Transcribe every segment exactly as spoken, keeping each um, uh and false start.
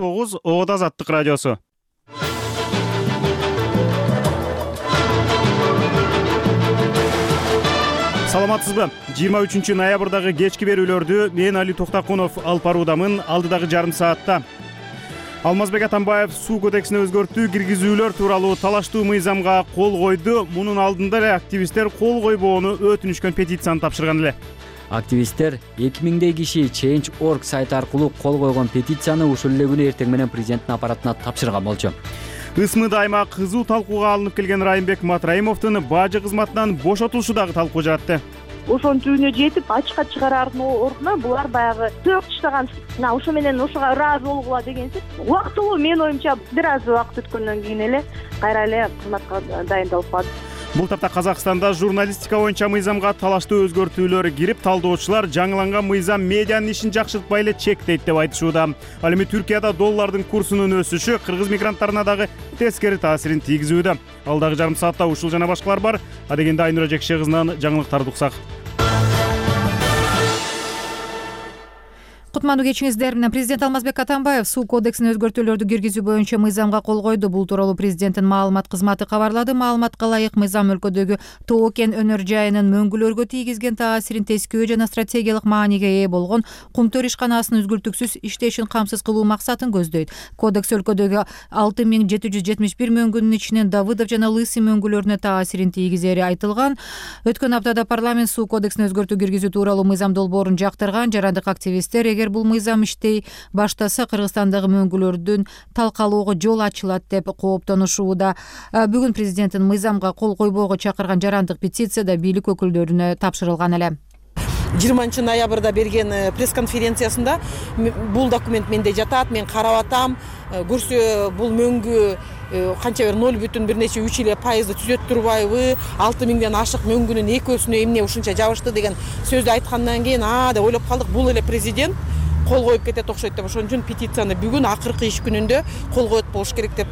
тогуз Ода Азаттык радиосу. Саламатсызбы? жыйырма үчүнчү ноябрдагы кечки берүүлөрдү мен Али Токтакунов алып баруудамын. Алдыдагы жарым саатта Алмазбек Атамбаев суу кодексине өзгөртүү киргизүүлөр тууралуу талаштуу мыйзамга кол койду. Мунун алдында эле активисттер кол койбоону өтүнүшкөн петицияны тапшырган эле. Активисттер эки миңдей киши Change точка org сайты аркылуу кол койгон петицияны ушул эле күнү эртең менен президенттин аппаратына тапшырган болчу. Ысмыда айма кызуу талкууга алынып келген Райымбек Матраимовдун бажы кызматынан бошотулушу дагы талкуу жаратты. Ошонун түбүнө жетип ачыкка чыгараардын ордуна булар баягы сөөк таштаган, ошо менен ошого ыраазы болгула дегенсип убактылуу, менин оюмча бир аз убакыт өткөндөн кийин эле кайра эле кызматка дайындалып калды. Бул тапта Казакстанда журналистика боюнча мыйзамга талаштуу өзгөртүүлөр кирип, талдоочулар жаңыланган мыйзам медианын ишин жакшыртпай эле чектейт деп айтышууда. Ал эми Түркияда доллардын курсунун өсүшү кыргыз мигранттарына дагы тескери таасирин тийгизүүдө. Алдагы жарым саатта ушул жана башкалар бар. Адегенде Айнура Жекше кызынан жаңылыктарды уксак. Кутмандуу кечиңиздер менен президент Алмазбек Атамбаев суу кодексине өзгөртүүлөрдү киргизүү боюнча мыйзамга кол койду. Бул тууралуу президенттин маалымат кызматы кабарлады. Маалыматка ылайык мыйзам өлкөдөгү Тоо кен өнөр жайынын мөңгүлөргө тийгизген таасирин тескөө жана стратегиялык мааниге ээ болгон Кумтөр ишканасынын үзгүлтүксүз иштешин камсыз кылуу максатын көздөйт. Кодекс өлкөдөгү алты миң жети жүз жетимиш бир мөңгүнүн ичинен Давыдов жана Лысый мөңгүлөрүнө таасирин тийгизери айтылган. Өткөн аптада парламент суу кодексине өзгөртүү киргизүү тууралуу мыйзам долбоорун жактырган. Жарандык активисттер эгер бул мыйзам иштей баштаса Кыргызстандагы мөңгүлөрдүн талкалоого жол ачылат деп кооптонушууда. Бүгүн президенттин мыйзамга кол койбоого чакырган жарандык петицияда бийлик өкүлдөрүнө тапшырылган эле. жыйырманчы ноябрда берген пресс-конференциясында бул документ менде жатат, мен карап атам, көрсө бул мөңгү канча бир ноль бүтүн бир нече үч эле пайызды түзөт турбайбы, алты миңден ашык мөңгүнүн экөөсүнө эмне ушунча жабышты деген сөздү айткандан кийин а деп ойлоп калдык, бул эле президент кол коюп кетет окшойт деп. Ошон үчүн петицияны бүгүн акыркы иш күнүндө кол коет болуш керек деп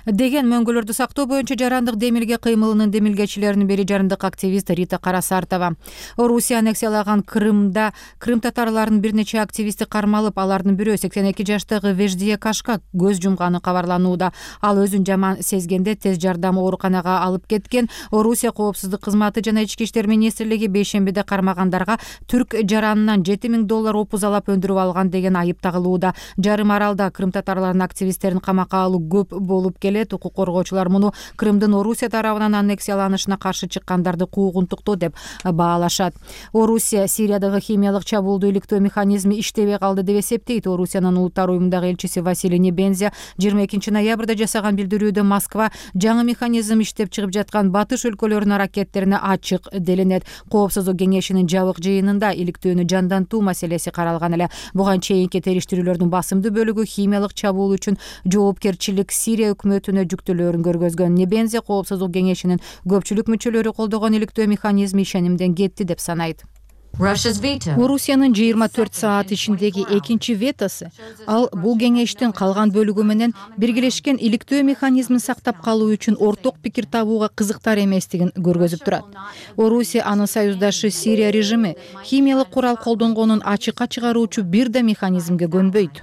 деген. Мөңгүлөрдү сактоо боюнча жарандык демилге кыймылынын демилгечилеринин бири жарандык активист Рита Карасартова. Орусия аннексиялаган Крымда Крым татарларынын бир нече активисти кармалып, алардын бирөө сексен эки жаштагы Веждие Кашка көз жумганы кабарланууда. Ал өзүн жаман сезгенде тез жардам ооруканага алып кеткен. Орусия коопсуздук кызматы жана ички иштер министрлиги бейшембиде кармагандарга түрк жаранынан жети миң доллар опузалап өндүрүп алган деген айып тагылууда. Жарым аралда Крым татарларынын активисттерин камакка алуу көп болуп келет. Укук коргоочулар муну Крымдын Орусия тарабынан аннексияланышына каршы чыккандарды куугунтуктоо деп баалашат. Орусия Сириядагы химиялык чабуулду иликтөө механизми иштебей калды деп эсептейт. Орусиянын улуттар уюмундагы элчиси Василий Небензя жыйырма экинчи ноябрда жасаган билдирүүдө Москва жаңы механизм иштеп чыгып жаткан батыш өлкөлөрүнүн аракеттерине ачык делинет. Коопсуздук кеңешинин жабык жыйынында иликтөөнү жандантуу маселеси каралган эле. Буга чейинки териштирүүлөрдүн басымдуу бөлүгү химиялык чабуул үчүн жоопкерчилик Сирия өкмөтүнө жүктөлөрүн көргөзгөн. Небензе коопсуздук кеңешинин көпчүлүк мүчөлөрү колдогон иликтөө механизми ишенимден кетти деп санайт. Орусиянын жыйырма төрт саат ичиндеги экинчи ветосы ал бул кеңештин калган бөлүгү менен биргелешкен иликтөө механизмин сактап калуу үчүн орток пикир табууга кызыктар эместигин көргөзүп турат. Орусия анын союздашы Сирия режими химиялык курал колдонгонун ачыкка чыгаруучу бир да механизмге көнбөйт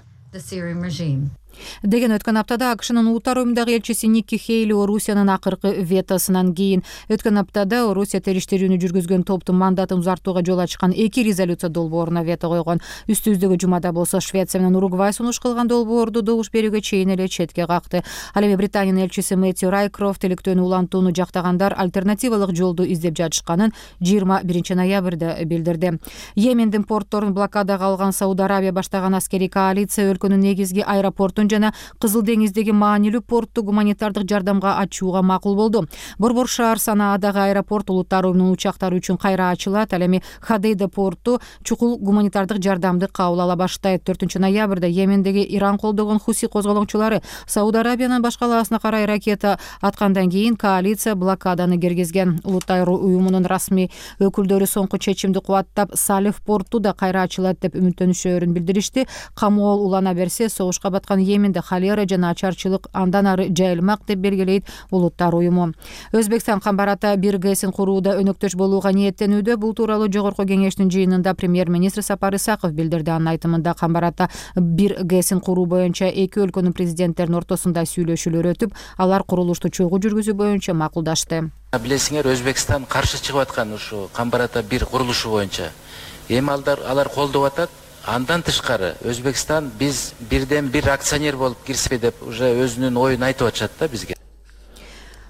деген өткөн аптада АКШнын улуттар уюмундагы элчиси Никки Хейли Орусиянын акыркы ветосунан кийин. Өткөн аптада Орусия териштирүүнү жүргүзгөн топтун мандатын узартууга жол ачкан эки резолюция долбооруна вето койгон. Үстүбүздөгү жумада болсо Швеция менен Уругвай сунуш кылган долбоорду добуш берүүгө чейин эле четке какты. Ал эми Британиянын элчиси Мэтью Райкрофт иликтөөнү улантууну жактагандар альтернативалык жолду издеп жатышканын жыйырма биринчи ноябрда билдирди. Йемендин портторун блокадага алган Сауд Арабия баштаган аскерий коалиция өлкөнүн негизги аэропортун жана Кызыл деңиздеги маанилүү портту гуманитардык жардамга ачууга макул болду. Борбор шаар Санаадагы аэропорт улуттар уюмунун учактары үчүн кайра ачылат. Ал эми Хадейда порту чукул гуманитардык жардамды кабыл ала баштайт. төртүнчү ноябрда Йемендеги Иран колдогон Хуси козголоңчулары Сауд Арабиянын башкалаасына карай ракета аткандан кийин коалиция блокаданы киргизген. Улуттар уюмунун расмий өкүлдөрү соңку чечимди кубаттап, Салиф порту да кайра ачылат деп үмүттөнүшөрүн билдиришти. Камол улана берсе, согушка баткан Йеменде холера жана ачарчылык андан ары жайылмак деп белгилейт Улуттар уюму. Өзбекстан Камбарата бир ГЭСин курууда өнөктөш болууга ниеттенүүдө. Бул тууралуу жогорку кеңештин жыйынында премьер-министр Сапар Исаков билдирди. Анын айтымында Камбарата бир ГЭСин куруу боюнча эки өлкөнүн президенттеринин ортосунда сүйлөшүүлөр өтүп, алар курулушту чогуу жүргүзүү боюнча макулдашты. Билесиңер, Өзбекстан каршы чыгып аткан ушу Камбарата бир курулушу боюнча. Эми алар колдоп атат. Андан тышкары Өзбекстан биз бирден бир акционер болуп кирсек деп уже өзүнүн оюн айтып атышат да бизге.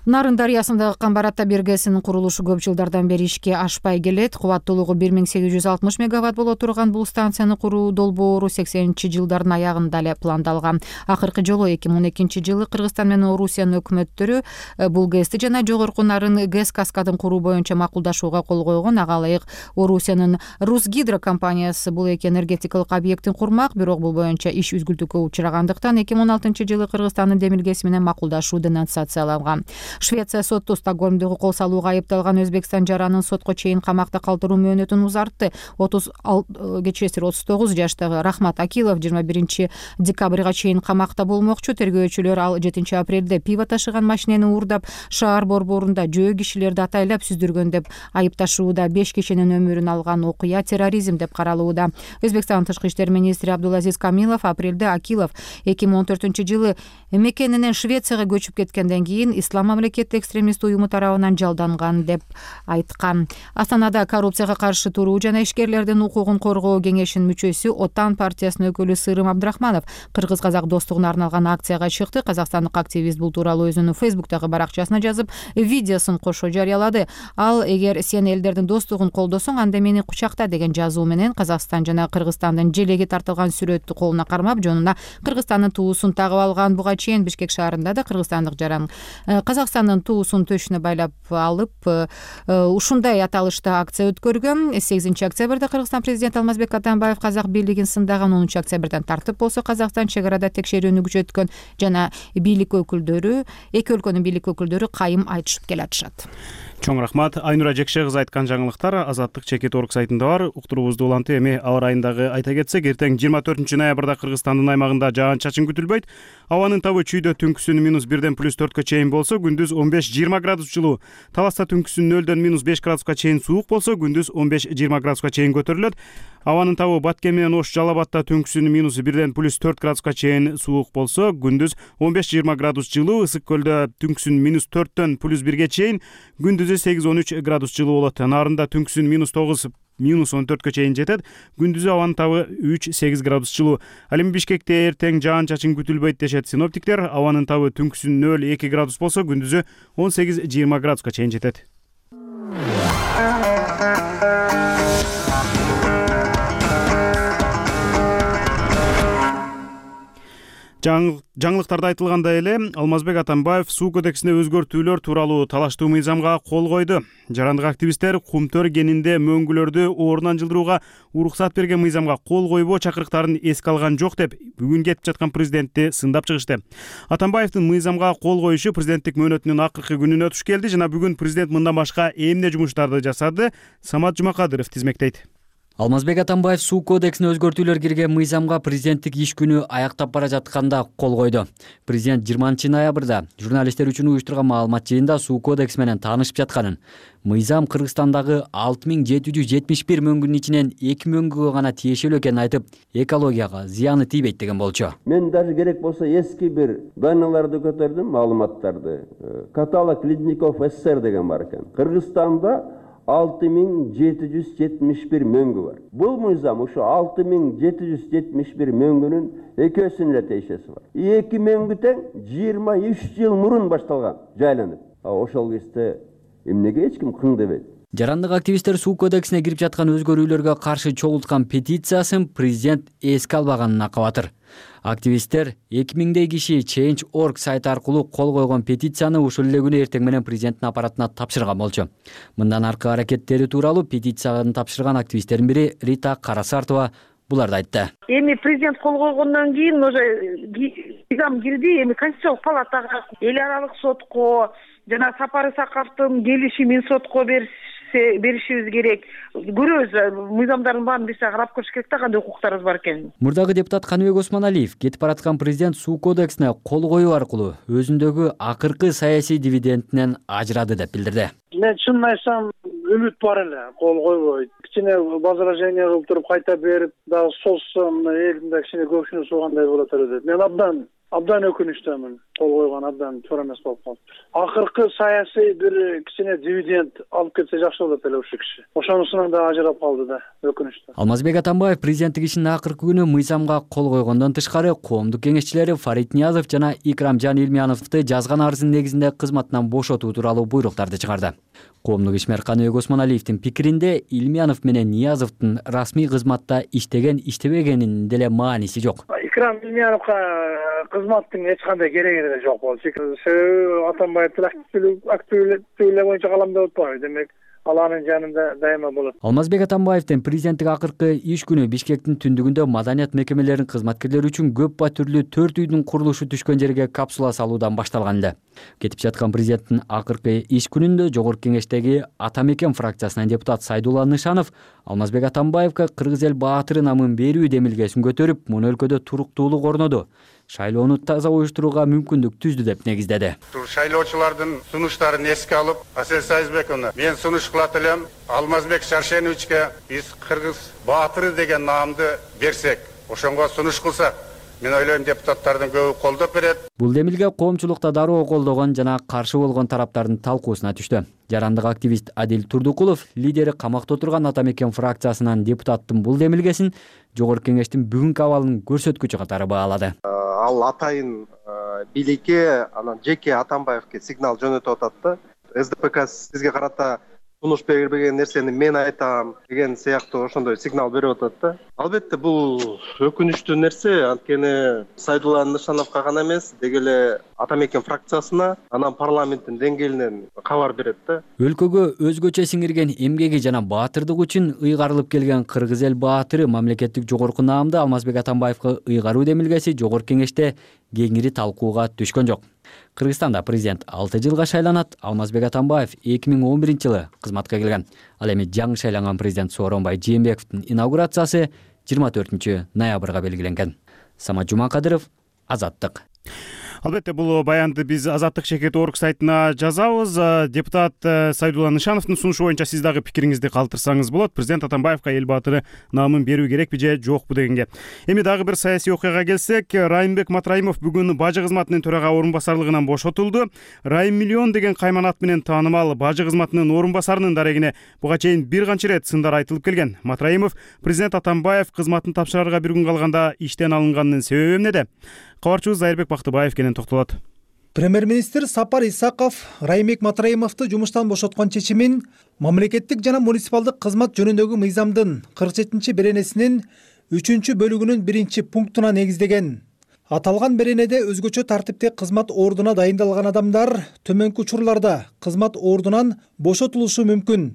Нарын дарыясындагы Камбарата бир ГЭСинин курулушу көп жылдардан бери ишке ашпай келет. Кубаттуулугу бир миң сегиз жүз алтымыш мегаватт боло турган бул станцияны куруу долбоору сексенинчи жылдардын аягында эле пландалган. Акыркы жолу эки миң он экинчи жылы Кыргызстан менен Орусиянын өкмөттөрү бул ГЭСти жана жогорку Нарын ГЭС каскадын куруу боюнча макулдашууга кол койгон. Ага ылайык Орусиянын Русгидро компаниясы бул эки энергетикалык объекттин курмак, бирок бул боюнча иш үзгүлтүүгө учурагандыктан эки миң он алтынчы жылы Кыргызстандын демилгеси менен макулдашуу денонсацияланган. Швеция соту Стокгольмдогу кол салууга айыпталган Өзбекстан жаранын сотко чейин камакта калтыруу мөөнөтүн узартты. отуз кечиресиз отуз тогуз жаштагы Рахмат Акилов жыйырма биринчи декабрга чейин камакта болмокчу. Тергөөчүлөр ал жетинчи апрелде пиво ташыган машинени уурдап, шаар борборунда жөө кишилерди атайлап сүздүргөн деп айыпташууда. беш кишинин өмүрүн алган окуя терроризм деп каралууда. Өзбекстан тышкы иштер министри Абдулазиз Камилов апрелде Акилов эки миң он төртүнчү жылы мекенинен Швецияга көчүп кеткенден кийин ислам мамлекет экстремист уюму тарабынан жалданган деп айткан. Астанада коррупцияга каршы туруу жана ишкерлердин укугун коргоо кеңешинин мүчөсү Отан партиясынын өкүлү Сырым Абдрахманов кыргыз-казак достугуна арналган акцияга чыкты. Казакстандык активист бул тууралуу өзүнүн Фейсбуктагы баракчасына жазып, видеосун кошо жарыялады. Ал эгер сен элдердин достугун колдосоң, анда мени кучакта деген жазуу менен Казакстан жана Кыргызстандын желеги тартылган сүрөттү колуна кармап, жонуна Кыргызстандын туусун тагып алган. Буга чейин Бишкек шаарында да кыргызстандык жаран Казакстандын туусун төшүнө байлап алып, ушундай аталышта акция өткөргөн. сегизинчи октябрда Кыргызстан президенти Алмазбек Атамбаев казак бийлигин сындаган. онунчу октябрдан тартып болсо Казакстан чек арада текшерүүнү күчөткөн жана бийлик өкүлдөрү, эки өлкөнүн бийлик өкүлдөрү кайым айтышып келатышат. Чоң рахмат. Айнура Жекше кызы айткан жаңылыктар Азаттык чекит точка орг сайтында бар. Уктуруубузду улантып, эми аба ырайындагы айта кетсек, эртең жыйырма төртүнчү ноябрда Кыргызстандын аймагында жаан-чачын күтүлбөйт. Абанын табы чүйдө түнкүсүн минус бирден плюс төрткө чейин болсо, күндүз он беш жыйырма градус жылуу. Таласта түнкүсүн нөлдөн минус беш градуска чейин суук болсо, күндүз он беш жыйырма градуска чейин көтөрүлөт. Абанын табы Баткен менен Ош Жалал Абадта түнкүсүн минус бирден плюс төрт градуска чейин суук болсо, күндүз он беш жыйырма градус жылуу. Ысык көлдө түнкүсүн минус төрттөн плюс бирге чейин, күндүзү сегиз он үч градус жылуу болот. Нарында түнкүсүн минус тогуз минус он төрткө чейин жетет. Күндүзү абанын табы үч сегиз градус жылуу. Ал эми Бишкекте эртең жаан-чачын күтүлбөйт дешет синоптиктер. Абанын табы түнкүсүн нөл эки градус болсо, күндүзү он сегиз жыйырма градуска чейин жетет. Жаңылыктарда айтылгандай эле, Алмазбек Атамбаев суу кодексине өзгөртүүлөр тууралуу талаштуу мыйзамга кол койду. Жарандык активисттер кумтөр кенинде мөңгүлөрдү ордунан жылдырууга уруксат берген мыйзамга кол койбоо чакырыктарын эске алган жок деп, бүгүн кетип жаткан президентти сындап чыгышты. Атамбаевдин мыйзамга кол коюшу президенттик мөөнөтүнүн акыркы күнүнө туш келди жана бүгүн президент мындан башка эмне жумуштарды жасады, Самат Жумакадыров тизмектейт. Алмазбек Атамбаев суу кодексине өзгөртүүлөр кирген мыйзамга президенттик иш күнү аяктап бара жатканда кол койду. Президент жыйырманчы ноябрда журналисттер үчүн уюштурган маалымат жыйында суу кодекси менен таанышып жатканын, мыйзам Кыргызстандагы алты миң жети жүз жетимиш бир мөңгүнүн ичинен эки мөңгүгө гана тиешелүү экенин айтып, экологияга зыяны тийбейт деген болчу. Мен даже керек болсо эски бир данныйларды көтөрдүм, маалыматтарды. Каталог Ледников СССР деген бар экен. Кыргызстанда алты миң жети жүз жетимиш бир мөңгү бар. Бул мыйзам ушу алты миң жети жүз жетимиш бир мөңгүнүн экөөсүнүн эле тиешеси бар. эки мөңгү тең жыйырма үч жыл мурун башталган, жайланып. А ошол кезде эмнеге эч ким кың дебейт? Жарандык активисттер суу кодексине кирип жаткан өзгөрүүлөргө каршы чогулткан петициясын президент эске албаганына кабатыр. Активисттер эки миңдей киши чейнч точка орг сайты аркылуу кол койгон петицияны ушул эле күнү эртең менен президенттин аппаратына тапшырган болчу. Мындан аркы аракеттери тууралуу петицияны тапшырган активисттердин бири Рита Карасартова буларды айтты. Эми президент кол койгондон кийин уже мыйзам кирди, эми Конституциялык палатага, эл аралык сотко жана Сапар Исаковдун келишимин сотко бериш беришибиз керек. Көрөбүз, мыйзамдардын баарын биз карап көрүш керек да, кандай укуктарыбыз бар экенин. Мурдагы депутат Каныбек Осмоналиев кетип бараткан президент суу кодексине кол коюу аркылуу өзүндөгү акыркы саясий дивидендинен ажырады деп билдирди. Мен чынын айтсам үмүт бар эле, кол койбойт. Кичине возражение кылып туруп кайта берип, дагы созсом элдин кичине көпшүнү суугандай болот эле деп. Мен абдан абдан өкүнүчтөмүн. Кол койгон абдан туура эмес болуп калыптыр. Акыркы саясий бир кичине дивиденд алып кетсе жакшы болот эле ушул киши. Ошонусунан да ажырап калды да, өкүнүчтүү. Алмазбек Атамбаев президенттик ишинин акыркы күнү мыйзамга кол койгондон тышкары коомдук кеңешчилери Фарид Ниязов жана Икрамжан Илмияновду жазган арыздын негизинде кызматынан бошотуу тууралуу буйруктарды чыгарды. Коомдук ишмер Каныбек Осмоналиевдин пикиринде Илмиянов менен Ниязовдун расмий кызматта иштеген иштебегенинин деле мааниси жок. Икрам Илмияновго кызматтын эч кандай кереги деле жок болчу. Себеби Атамбаевдин активдүүлүгү боюнча каламдап атпайбы, демек ал анын жанында дайыма болот. Алмазбек Атамбаевдин президенттик акыркы иш күнү Бишкектин түндүгүндө маданият мекемелеринин кызматкерлери үчүн көп батүрлүү төрт үйдүн курулушу түшкөн жерге капсула салуудан башталган эле. Кетип жаткан президенттин акыркы иш күнүндө Жогорку Кеңештеги Ата Мекен фракциясынан депутат Сайдулла Нышанов Алмазбек Атамбаевга Кыргыз эл баатыры намын берүү демилгесин көтөрүп, муну өлкөдө туруктуулук орноду, шайлоону таза уюштурууга мүмкүндүк түздү деп негиздеди. Шайлоочулардын сунуштарын эске алып, Асель Сайызбековна, мен сунуш кылат элем, Алмазбек Шаршеновичке биз Кыргыз баатыры деген наамды берсек, ошонго сунуш кылсак, мен ойлойм депутаттардын көбү колдоп берет. Бул демилге коомчулукта дароо колдогон жана каршы болгон тараптардын талкуусуна түштү. Жарандык активист Адил Турдукулов лидери камакта отурган Ата Мекен фракциясынан депутаттын бул демилгесин Жогорку Кеңештин бүгүнкү абалынын көрсөткүчү катары баалады. Ал атайын бийликке, анан жеке Атамбаевке сигнал жөнөтүп атат да. эс дэ пэ ка сизге карата сунуш бербеген нерсени мен айтам деген сыяктуу ошондой сигнал берип атат да. Албетте бул өкүнүчтүү нерсе, анткени Сайдулла Нышановго гана эмес, деги эле Ата Мекен фракциясына, анан парламенттин деңгээлинен кабар берет да. Өлкөгө өзгөчө сиңирген эмгеги жана баатырдык үчүн ыйгарылып келген Кыргыз эл баатыры мамлекеттик жогорку наамды Алмазбек Атамбаевга ыйгаруу демилгеси Жогорку Кеңеште кеңири талкууга түшкөн жок. Кыргызстанда президент алты жылга шайланат. Алмазбек Атамбаев эки миң он биринчи жылы кызматка келген. Ал эми жаңы шайланган президент Сооронбай Жээнбековдун инаугурациясы жыйырма төртүнчү ноябрга белгиленген. Самат Жумакадыров, Азаттык. Албетте, бул баянды биз Азаттык чекит орг сайтына жазабыз. Депутат Сайдулла Нышановдун сунушу боюнча сиз дагы пикириңизди калтырсаңыз болот. Президент Атамбаевга эл баатыры наамын берүү керекпи же жокпу дегенге. Эми дагы бир саясий окуяга келсек, Райымбек Матраимов бүгүн бажы кызматынын төрага орун басарлыгынан бошотулду. Райым Миллион деген кайман ат менен таанымал бажы кызматынын орун басарынын дарегине буга чейин бир канча ирет сындар айтылып келген. Матраимов президент Атамбаев кызматын тапшырарга бир күн калганда иштен алынганынын себеби эмнеде? Кабарчыбыз Айырбек Бактыбаев кенен токтолот. Премьер-министр Сапар Исаков Райымбек Матраимовду жумуштан бошоткон чечимин мамлекеттик жана муниципалдык кызмат жөнүндөгү мыйзамдын кырк жетинчи беренесинин үчүнчү бөлүгүнүн биринчи пунктуна негиздеген. Аталган беренеде өзгөчө тартипте кызмат ордуна дайындалган адамдар төмөнкү учурларда кызмат ордунан бошотулушу мүмкүн.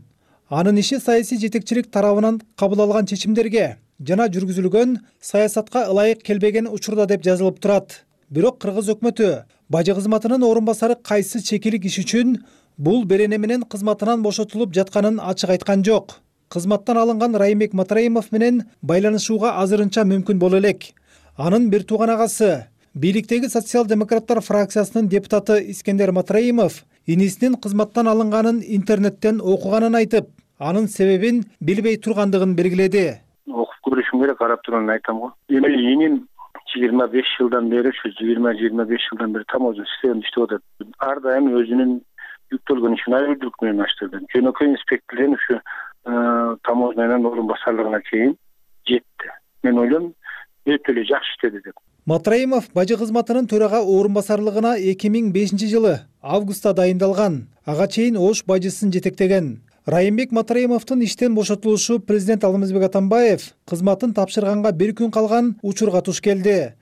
Анын иши саясий жетекчилик тарабынан кабыл алган чечимдерге жана жүргүзүлгөн саясатка ылайык келбеген учурда деп жазылып турат. Бирок Кыргыз өкмөтү бажы кызматынын орун басары кайсы чекилик иш үчүн бул берене менен кызматынан бошотулуп жатканын ачык айткан жок. Кызматтан алынган Райымбек Матраимов менен байланышууга азырынча мүмкүн боло элек. Анын бир тууган агасы, бийликтеги социал-демократтар фракциясынын депутаты Искендер Матраимов инисинин кызматтан алынганын интернеттен окуганын айтып, анын себебин билбей тургандыгын белгиледи. Окуп көрүшүм керек, карап турганын айтам го. Эми иним жыйырма беш жылдан бери, ушу жыйырма жыйырма беш жылдан бери таможня системасында иштеп атат. Ар дайым өзүнүн жүктөлгөн ишин айрымдуулук менен аштырды. Жөнөкөй инспекторден ушу таможнянын орун басарлыгына чейин жетти. Мен ойлойм, өтө эле жакшы иштеди деп. Матраимов бажы кызматынын төрага орун басарлыгына эки миң бешинчи жылы августта дайындалган. Ага чейин Ош бажысын жетектеген. Райымбек Матраимовдун иштен бошотулушу президент Алмазбек Атамбаев кызматын тапшырганга бир күн калган учурга туш келди.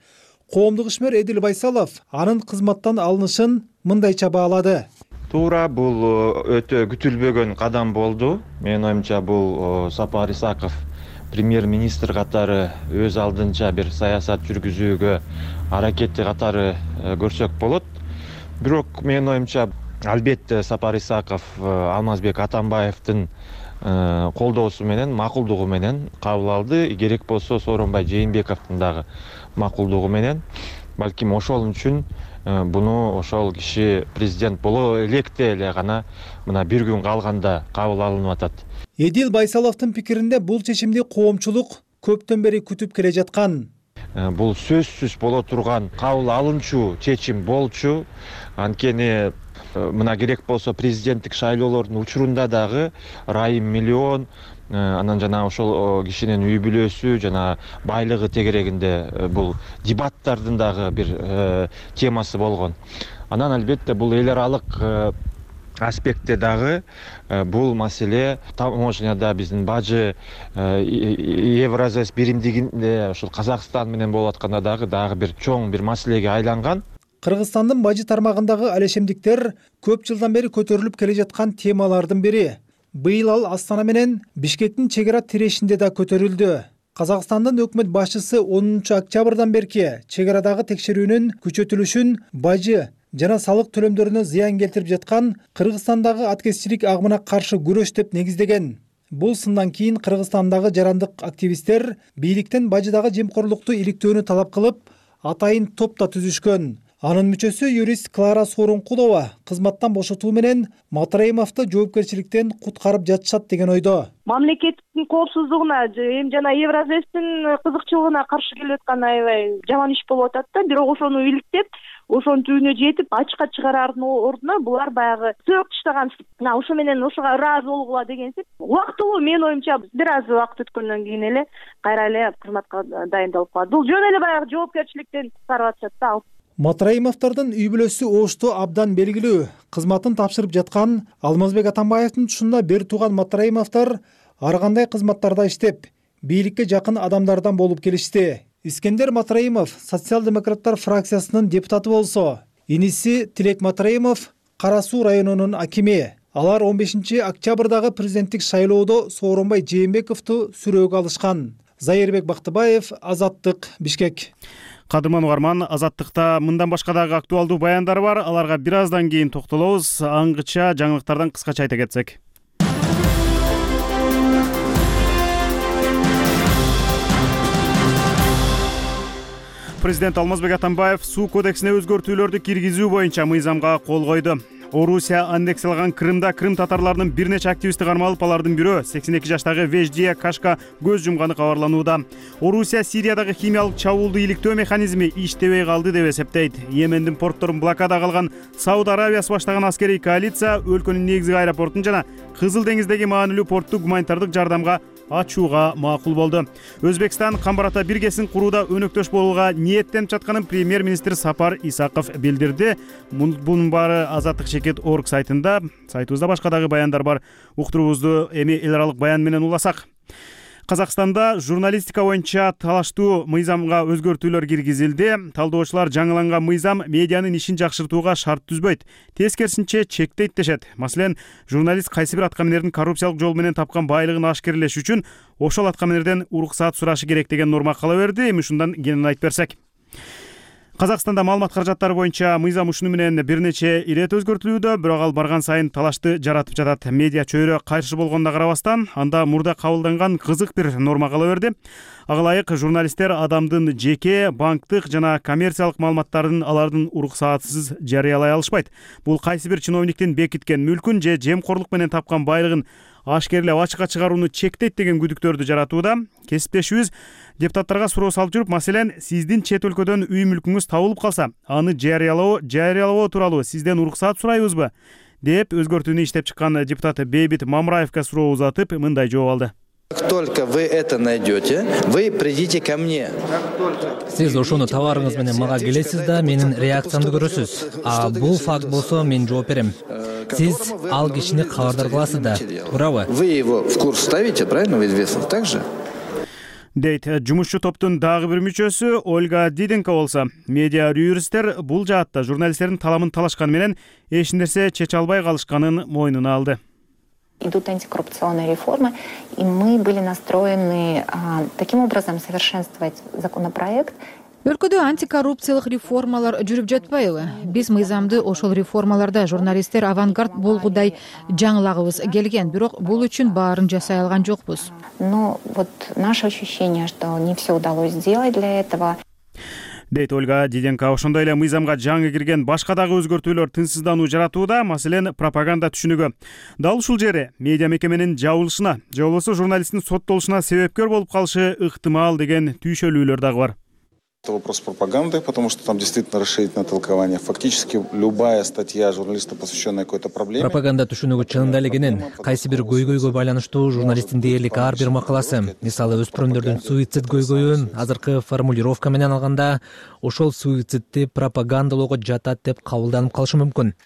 Коомдук ишмер Эдил Байсалов анын кызматтан алынышын мындайча баалады. Туура, бул өтө күтүлбөгөн кадам болду. Менин оюмча бул Сапар Исаков премьер-министр катары өз алдынча бир саясат жүргүзүүгө аракети катары көрсөк болот. Бирок менин оюмча албетте Сапар Исаков Алмазбек Атамбаевдин колдоосу менен, макулдугу менен кабыл алды. Керек болсо Сооронбай Жээнбековдун дагы макулдугу менен, балким ошол үчүн буну ошол киши президент боло электе эле гана мына бир күн калганда кабыл алынып атат. Эдил Байсаловдун пикиринде бул чечимди коомчулук көптөн бери күтүп келе жаткан. Бул сөзсүз боло турган кабыл алынчу чечим болчу. Анткени мына керек болсо президенттик шайлоолордун учурунда дагы Райым миллион, анан жана ошол кишинин үй бүлөсү жана байлыгы тегерегинде бул дебаттардын дагы бир темасы болгон. Анан албетте бул эл аралык аспектте дагы бул маселе таможняда биздин бажы Евразес биримдигинде ошол Казакстан менен болуп атканда дагы дагы бир чоң бир маселеге айланган. Кыргызстандын бажы тармагындагы алешемдиктер көп жылдан бери көтөрүлүп келе жаткан темалардын бири. Быйыл ал Астана менен Бишкектин чек ара тирешинде да көтөрүлдү. Казакстандын өкмөт башчысы онунчу октябрдан берки чек арадагы текшерүүнүн күчөтүлүшүн бажы жана салык төлөмдөрүнө зыян келтирип жаткан Кыргызстандагы аткезчилик агымына каршы күрөш деп негиздеген. Бул сындан кийин Кыргызстандагы жарандык активисттер бийликтен бажыдагы жемкорлукту иликтөөнү талап кылып, атайын топ да түзүшкөн. Анын мүчөсү юрист Клара Сооронкулова кызматтан бошотуу менен Матраимовду жоопкерчиликтен куткарып жатышат деген ойдо. Мамлекеттин коопсуздугуна эми жана Евразестин кызыкчылыгына каршы келип аткан аябай жаман иш болуп атат да. Бирок ошону иликтеп, ошонун түбүнө жетип, ачыкка чыгараардын ордуна булар баягы сөөк таштаган, ошо менен ошого ыраазы болгула дегенсип, убактылуу менин оюмча бир аз убакыт өткөндөн кийин эле кайра эле кызматка дайындалып калат. Бул жөн эле баягы жоопкерчиликтен куткарып атышат да. Матраимовдордун үй бүлөсү оошту абдан белгилүү. Кызматын тапшырып жаткан Алмазбек Атамбаевдин тушунда бир тууган Матраимовдор ар кандай кызматтарда иштеп, бийликке жакын адамдардан болуп келишти. Искендер Матраимов социал-демократтар фракциясынын депутаты болсо, иниси Тилек Матраимов Кара Суу районунун акими. Алар он бешинчи октябрдагы президенттик шайлоодо Сооронбай Жээнбековду сүрөөгө алышкан. Зайырбек Бактыбаев, Азаттык, Бишкек. Кадырман угарман, Азаттыкта мындан башка дагы актуалдуу баяндар бар. Аларга бир аздан кийин токтолобуз. Аңгыча жаңылыктардан кыскача айта кетсек. Президент Алмазбек Атамбаев суу кодексине өзгөртүүлөрдү киргизүү боюнча мыйзамга кол койду. Орусия аннексиялаган Крымда крым татарларынын бир нече активисти кармалып, алардын бирөө сексен эки жаштагы Веждия Кашка көз жумганы кабарланууда. Орусия Сириядагы химиялык чабуулду иликтөө механизми иштебей калды деп эсептейт. Йемендин портторун блокада кылган Сауд Аравиясы баштаган аскерий коалиция өлкөнүн негизги аэропортун жана Кызыл деңиздеги маанилүү портту гуманитардык жардамга ачууга макул болду. Өзбекстан Камбарата биргесин курууда өнөктөш болууга ниеттенип жатканын премьер-министр Сапар Исаков билдирди. Бунун баары Азаттык чекит точка орг сайтында, сайтыбызда башка дагы баяндар бар. Уктуруубузду эми эл аралык баян менен уласак. Казакстанда журналистика боюнча талаштуу мыйзамга өзгөртүүлөр киргизилди. Талдоочулар жаңыланган мыйзам медианын ишин жакшыртууга шарт түзбөйт, тескерисинче чектейт дешет. Маселен, журналист кайсы бир аткаминердин коррупциялык жол менен тапкан байлыгын ашкерелеш үчүн ошол аткаминерден уруксаат сурашы керек деген норма кала берди. Эми ушундан кенен айтып берсек. Казакстанда маалымат каражаттары боюнча мыйзам ушуну менен бир нече ирет өзгөртүлүүдө, бирок ал барган сайын талашты жаратып жатат. Медиа чөйрө кайшы болгонуна карабастан, анда мурда кабылданган кызык бир норма кала берди. Ага ылайык журналисттер адамдын жеке, банктык жана коммерциялык маалыматтарын алардын уруксаатсыз жарыялай алышпайт. Бул кайсы бир чиновниктин бекиткен мүлкүн же жемкорлук менен тапкан байлыгын ашкерлеп ачыкка чыгарууну чектейт деген күдүктөрдү жаратууда. Кесиптешибиз депутаттарга суроо салып жүрүп, маселен, сиздин чет өлкөдөн үй мүлкүңүз табылып калса, аны жарыялоо жарыялоо тууралуу сизден уруксаат сурайбызбы деп өзгөртүүнү иштеп чыккан депутат Бейбит Мамраевга суроо узатып, мындай жооп алды. Как только вы это найдете, вы придите ко мне. Сиз ошону табарыңыз менен мага келесиз да, менин реакциямды көрөсүз. А бул факт болсо мен жооп берем. Сиз ал кишини кабардар кыласыз да, туурабы? Вы его в курс ставите, правильно, в известность, так же? Дейт жумушчу топтун дагы бир мүчөсү Ольга Диденко болсо, медиа юристтер бул жаатта журналисттердин таламын талашканы менен эч нерсе чече албай калышканын мойнуна алды. Идут антикоррупционные реформы, и мы были настроены а, таким образом совершенствовать законопроект Өлкөдө антикоррупциялык реформалар жүрүп жатпайбы? Биз мыйзамды ошол реформаларда журналисттер авангард болгудай жаңылагыбыз келген, бирок бул үчүн баарын жасай алган жокпуз. Но вот наше ощущение, что не все удалось сделать для этого. Дейт Ольга Диденко. Ошондой эле мыйзамга жаңы кирген башка дагы өзгөртүүлөр тынчсыздануу жаратууда, маселен, пропаганда түшүнүгү. Дал ушул жери медиа мекеменин жабылышына, же болбосо журналисттин соттолушуна себепкер болуп калышы ыктымал деген түйшөлүүлөр дагы бар. Это вопрос пропаганды, потому что там действительно расширительное толкование. Фактически любая статья журналиста, посвященная какой-то проблеме. Пропаганда түшүнүгү чынында эле кенен. Кайсы бир көйгөйгө байланыштуу журналисттин дээрлик ар бир макаласы, мисалы өспүрүмдөрдүн суицид көйгөйүн азыркы формулировка менен алганда, ошол суицидти пропагандалоого жатат деп кабылданып калышы мүмкүн.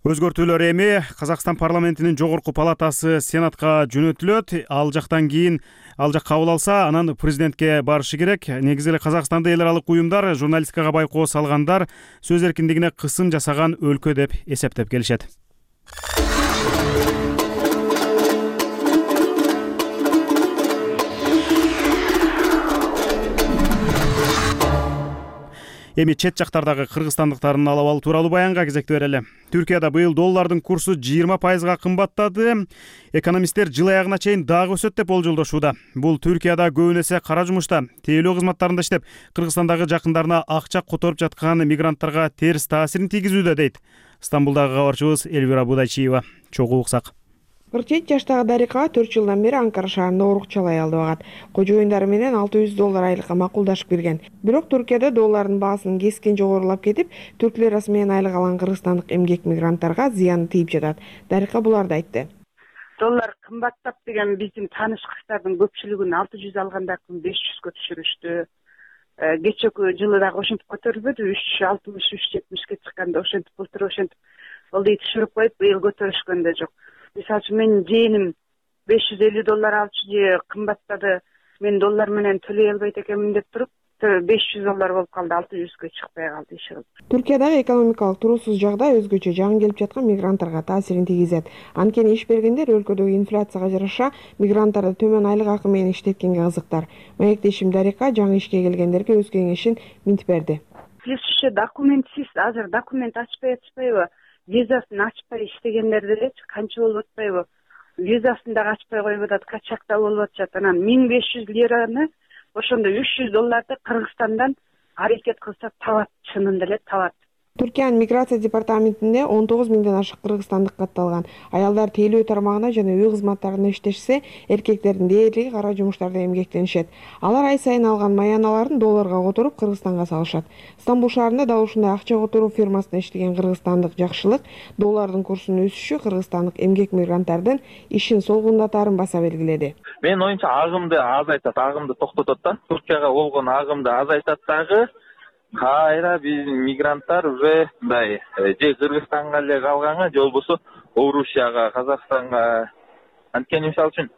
Өзгөртүүлөр эми Казакстан парламентинин жогорку палатасы Сенатка жөнөтүлөт. Ал жактан кийин ал жак кабыл алса, анан президентке барышы керек. Негизи эле Казакстанда эл аралык уюмдар журналистикага байкоо салгандар сөз эркиндигине кысым жасаган өлкө деп эсептеп келишет. Эми чет жактардагы кыргызстандыктардын алабалы тууралуу баянга кезекти берели. Түркияда быйыл доллардын курсу жыйырма пайызга кымбаттады. Экономисттер жыл аягына чейин дагы өсөт деп болжолдошууда. Бул Түркияда көбүн эсе кара жумушта, тейлөө кызматтарында иштеп, Кыргызстандагы жакындарына акча которуп жаткан мигранттарга терс таасирин тийгизүүдө дейт. Стамбулдагы кабарчыбыз Элвира Будайчиева. Чогуу уксак. кырк жети жаштагы Дарика төрт жылдан бери Анкара шаарында урукчалай алды багат. Кожоюндары менен алты жүз доллар айлыкка макулдашып кирген. Бирок Түркияда доллардын баасынын кескин жогорулап кетип, түрк лирасы менен айлык алган кыргызстандык эмгек мигранттарга зыяны тийип жатат. Дарика буларды айтты. Доллар кымбаттап деген биздин тааныш кыздардын көпчүлүгүн алты жүз алгандардын беш жүзгө түшүрүштү. Кечээки жылы дагы ошентип көтөрүлбөдү, үч жүз алтымыш үч жүз жетимишке чыкканда ошентип былтыр ошентип болду түшүрүп коюп, быйыл көтөрүшкөн да жок. Мисалы үчүн менин жээним беш жүз элүү доллар алчу же кымбаттады, мен доллар менен төлөй албайт экенмин деп туруп, беш жүз доллар болуп калды, алты жүзгө чыкпай калды иши. Түркиядагы экономикалык туруусуз жагдай өзгөчө жаңы келип жаткан мигранттарга таасирин тийгизет. Анткени иш бергендер өлкөдөгү инфляцияга жараша мигранттарды төмөн айлык акы менен иштеткенге кызыктар. Маектешим Дарика жаңы ишке келгендерге өз кеңешин минтип берди. Сиз документсиз азыр документ ачпай атышпайбы? Визасын ачпай иштегендер делечи канча болуп атпайбы? Визасын дагы ачпай коюп атат, качакта болуп атышат. Анан миң беш жүз лираны, ошондо үч жүз долларды Кыргызстандан аракет кылса табат, чынында эле табат. Түркиянын миграция департаментинде он тогуз миңден ашык кыргызстандык катталган. Аялдар тейлөө тармагына жана үй кызматтарында иштешсе, эркектердин дээрлиги кара жумуштарда эмгектенишет. Алар ай сайын алган маяналарын долларга которуп Кыргызстанга салышат. Стамбул шаарында да ушундай акча которуу фирмасында иштеген кыргызстандык Жакшылык доллардын курсунун өсүшү кыргызстандык эмгек мигранттардын ишин солгундатаарын баса белгиледи. Менин оюмча агымды азайтат, агымды токтотот да. Туркияга болгон агымды азайтат дагы. Кайра биз мигранттар уже мындай же Кыргызстанга эле калганга, же болбосо Орусияга, Казакстанга. Анткени мисалы үчүн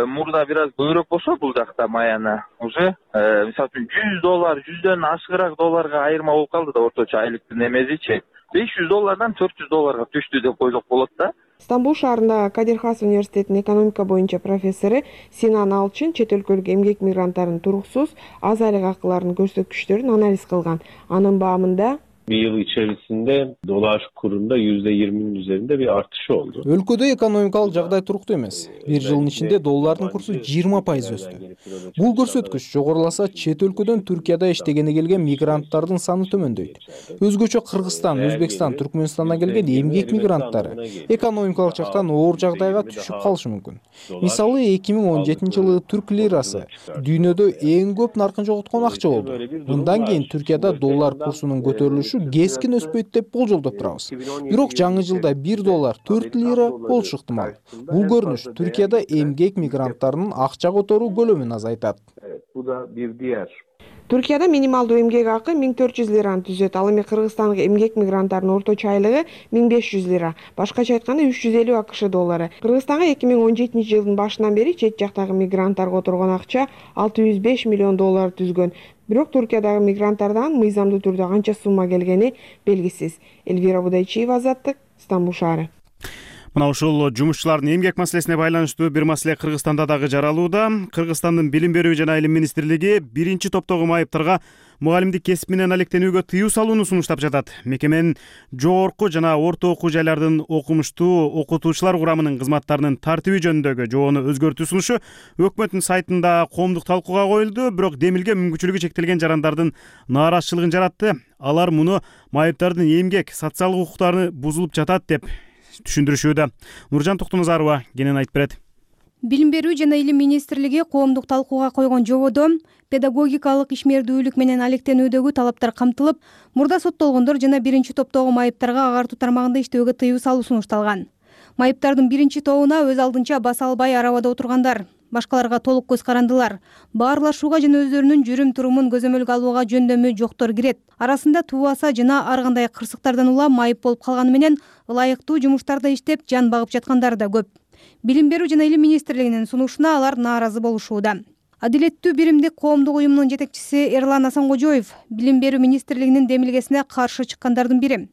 мурда бир аз көбүрөөк болсо бул жакта маяна уже мисалы үчүн жүз доллар, жүздөн ашыгыраак долларга айырма болуп калды да орточо айлыктын эмесичи. беш жүз доллардан төрт жүз долларга түштү деп койсок болот да. Стамбул шаарындагы Кадир Хас университетинин экономика боюнча профессору Синан Алчын чет өлкөлүк эмгек мигранттарынын туруксуз аз айлык акыларынын көрсөткүчтөрүн анализ кылган. Анын баамында bir yıl içerisinde dolar kurunda yüzde yirminin üzerinde bir artışı oldu. Өлкөдө экономикалык жагдай туруктуу эмес. Бир жылдын ичинде доллардын курсу жыйырма пайыз өстү. Бул көрсөткүч жогоруласа, чет өлкөдөн Түркияда иштегени келген мигранттардын саны төмөндөйт. Өзгөчө Кыргызстан, Өзбекстан, Түркмөнстандан келген эмгек мигранттары экономикалык жактан оор жагдайга түшүп калышы мүмкүн. Мисалы, эки миң он жетинчи жылы түрк лирасы дүйнөдө эң көп наркын жоготкон акча болду. Мындан кийин Түркияда доллар курсунун көтөрүлүшү кескин өспөйт деп болжолдоп турабыз. Бирок жаңы жылда бир доллар төрт лира болушу ыктымал. Бул көрүнүш Түркияда эмгек мигранттарынын акча которуу көлөмүн азайтат. Түркияда минималдуу эмгек акы миң төрт жүз лираны түзөт. Ал эми Кыргызстандык эмгек мигранттарынын орточо айлыгы миң беш жүз лира. Башкача айтканда үч жүз элүү акш доллары. Кыргызстанга эки миң он жетинчи жылдын башынан бери чет жактагы мигранттар которгон акча алты жүз беш миллион доллар түзгөн. Бирок Түркиядагы мигранттардан мыйзамдуу түрдө канча сумма келгени белгисиз. Элвира Будайчиева, Азаттык, Стамбул шаары. Мына ушул жумушчулардын эмгек маселесине байланыштуу бир маселе Кыргызстанда дагы жаралууда. Кыргызстандын Билим берүү жана Илим министрлиги биринчи топтогу майыптарга мугалимдик кесип менен алектенүүгө тыюу салууну сунуштап жатат. Мекеменин жогорку жана орто окуу жайлардын окумуштуу окутуучулар курамынын кызматтарынын тартиби жөнүндөгү жобону өзгөртүү сунушу өкмөттүн сайтында коомдук талкууга коюлду, бирок демилге мүмкүнчүлүгү чектелген жарандардын нааразычылыгын жаратты. Алар муну майыптардын эмгек, социалдык укуктары бузулуп жатат деп түшүндүрүшүүдө. Нуржан Токтоназарова кенен айтып берет. Билим берүү жана Илим министрлиги коомдук талкууга койгон жободо педагогикалык ишмердүүлүк менен алектенүүдөгү талаптар камтылып, мурда соттолгондор жана биринчи топтогу майыптарга агартуу тармагында иштөөгө тыюу салуу сунушталган. Майыптардын биринчи тобуна өз алдынча баса албай арабада отургандар, башкаларга толук көз карандылар, баарлашууга жана өздөрүнүн жүрүм-турумун көзөмөлгө алууга жөндөмү жоктор кирет. Арасында тубаса жана ар кандай кырсыктардан улам майып болуп калганы менен ылайыктуу жумуштарда иштеп жан багып жаткандар да көп. Билим берүү жана Илим министрлигинин сунушуна алар нааразы болушууда. Адилеттүү биримдик коомдук уюмунун жетекчиси Эрлан Асанкожоев Билим берүү министрлигинин демилгесине каршы чыккандардын бири.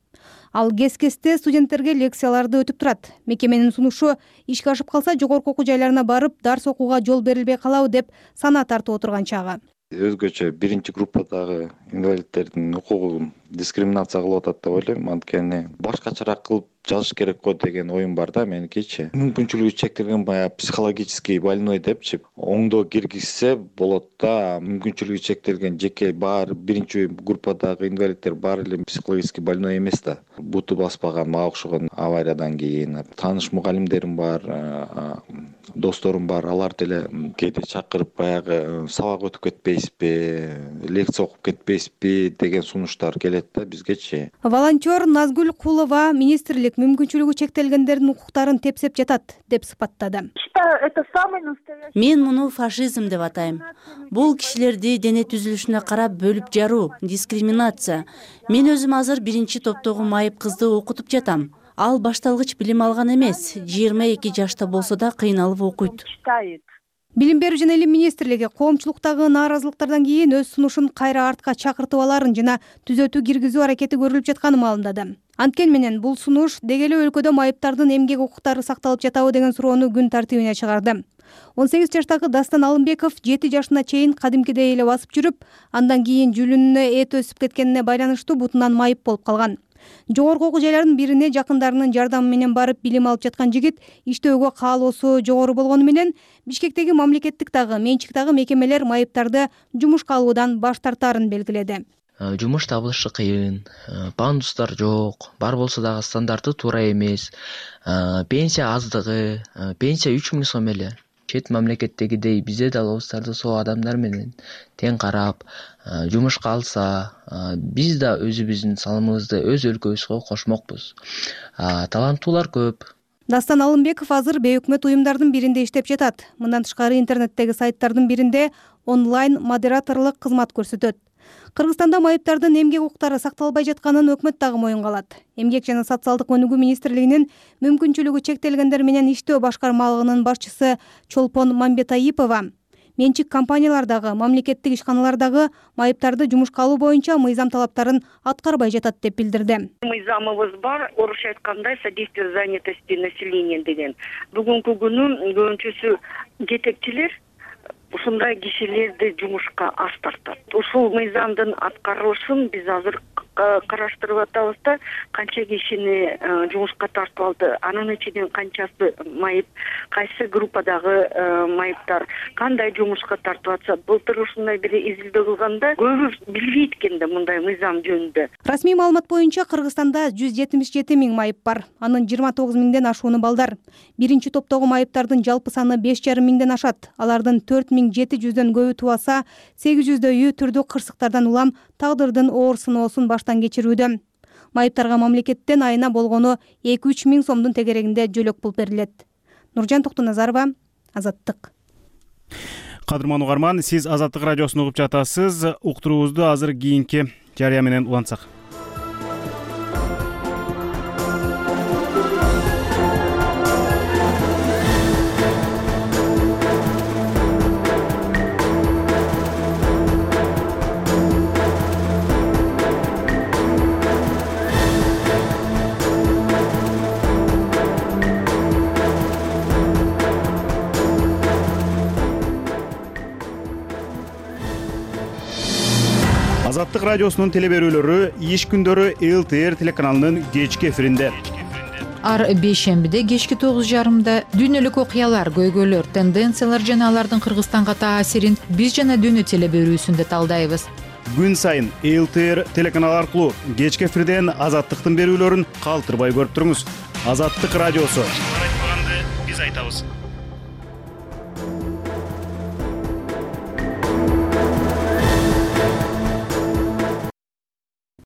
Ал кес-кесте студенттерге лекцияларды өтүп турат. Мекеменин сунушу ишке ашып калса жогорку окуу жайларына барып дарс окууга жол берилбей калабы деп санаа тартып отурган чагы. Өзгөчө биринчи группадагы инвалидтердин укугун дискриминация кылып атат деп ойлойм. Анткени башкачараак кылып жазыш керек го деген оюм бар да меникичи. Мүмкүнчүлүгү чектелген баягы психологический больной депчи оңдоо киргизсе болот да. Мүмкүнчүлүгү чектелген жеке баары биринчи группадагы инвалидтер баары эле психологический больной эмес да. Буту баспаган, мага окшогон авариядан кийин тааныш мугалимдерим бар, досторум бар. Алар деле кээде чакырып баягы сабак өтүп кетпейсизби, лекция окуп кетпейсизби деген сунуштар келет да бизгечи. Волонтер Назгүл Кулова министрлик мүмкүнчүлүгү чектелгендердин укуктарын тепсеп жатат деп сыпаттады. Мен муну фашизм деп атайм. Бул кишилерди дене түзүлүшүнө карап бөлүп жаруу, дискриминация. Мен өзүм азыр биринчи топтогу майып кызды окутуп жатам. Ал башталгыч билим алган эмес, жыйырма эки жашта болсо да кыйналып окуйт. Билим берүү жана Илим министрлиги коомчулуктагы нааразылыктардан кийин өз сунушун кайра артка чакыртып аларын жана түзөтүү киргизүү аракети көрүлүп жатканын маалымдады. Анткени менен бул сунуш деги эле өлкөдө майыптардын эмгек укуктары сакталып жатабы деген суроону күн тартибине чыгарды. он сегиз жаштагы Дастан Алымбеков жети жашына чейин кадимкидей эле басып жүрүп, андан кийин жүлүнүнө эт өсүп кеткенине байланыштуу бутунан майып болуп калган. Жогорку окуу жайлардын бирине жакындарынын жардамы менен барып билим алып жаткан жигит иштөөгө каалоосу жогору болгону менен Бишкектеги мамлекеттик дагы менчик дагы мекемелер майыптарды жумушка алуудан баш тартаарын белгиледи. Жумуш табылышы кыйын, пандустар жок, бар болсо дагы стандарты туура эмес, пенсия аздыгы, пенсия үч миң сом эле. Чет мамлекеттегидей бизде далабыздарды сол адамдар менен тең карап, жумушка алса, биз да өзүбүздүн салымыбызды өз өлкөбүзгө кошмокпуз. Таланттуулар көп. Дастан Алымбеков азыр бейөкмөт уюмдардын биринде иштеп жатат. Мындан тышкары интернеттеги сайттардын биринде онлайн модераторлук кызмат көрсөтөт. Кыргызстанда майыптардын эмгек укуктары сакталбай жатканын өкмөт дагы моюнга алат. Эмгек жана социалдык өнүгүү министрлигинин мүмкүнчүлүгү чектелгендер менен иштөө башкармалыгынын башчысы Чолпон Мамбетаипова менчик компаниялардагы, мамлекеттик ишканалардагы майыптарды жумушка алуу боюнча мыйзам талаптарын аткарбай жатат деп билдирди. Мыйзамыбыз бар, орусча айтканда содействие занятости населения деген. Бүгүнкү күнү көбүнчөсү жетекчилер ушундай кишилерди жумушка аз тартат. Ушул мыйзамдын аткарылышын биз азыр караштырып атабыз да, канча кишини жумушка тартып алды, анын ичинен канчасы майып, кайсы группадагы майыптар кандай жумушка тартып атса, былтыр ушундай бир изилдөө кылганда көбү билбейт экен да мындай мыйзам жөнүндө. Расмий маалымат боюнча Кыргызстанда жүз жетимиш жети миң майып бар. Анын жыйырма тогуз миңден ашууну балдар. Биринчи топтогу майыптардын жалпы саны беш жарым миңден ашат. Алардын төрт миң жети жүздөн көбү тубаса, сегиз жүздөйү түрдүү кырсыктардан улам тагдырдын оор сыноосун баштан кечирүүдө. Майыптарга мамлекеттен айына болгону эки үч миң сомдун тегерегинде жөлөк пул берилет. Нуржан Токтоназарова, Азаттык. Кадырман угарман, сиз Азаттык радиосун угуп жатасыз. Уктуруубузду азыр кийинки жарыя менен улантсак. Азаттык радиосунун теле берүүлөрү иш күндөрү эл ти эр телеканалынын кечки эфиринде. Ар бейшембиде кечки тогуз жарымда дүйнөлүк окуялар, көйгөйлөр, тенденциялар жана алардын Кыргызстанга таасирин биз жана дүйнө теле берүүсүндө талдайбыз. Күн сайын эл ти эр телеканалы аркылуу кечки эфирден Азаттыктын берүүлөрүн калтырбай көрүп туруңуз. Азаттык радиосу. Биз айтпаганды биз айтабыз.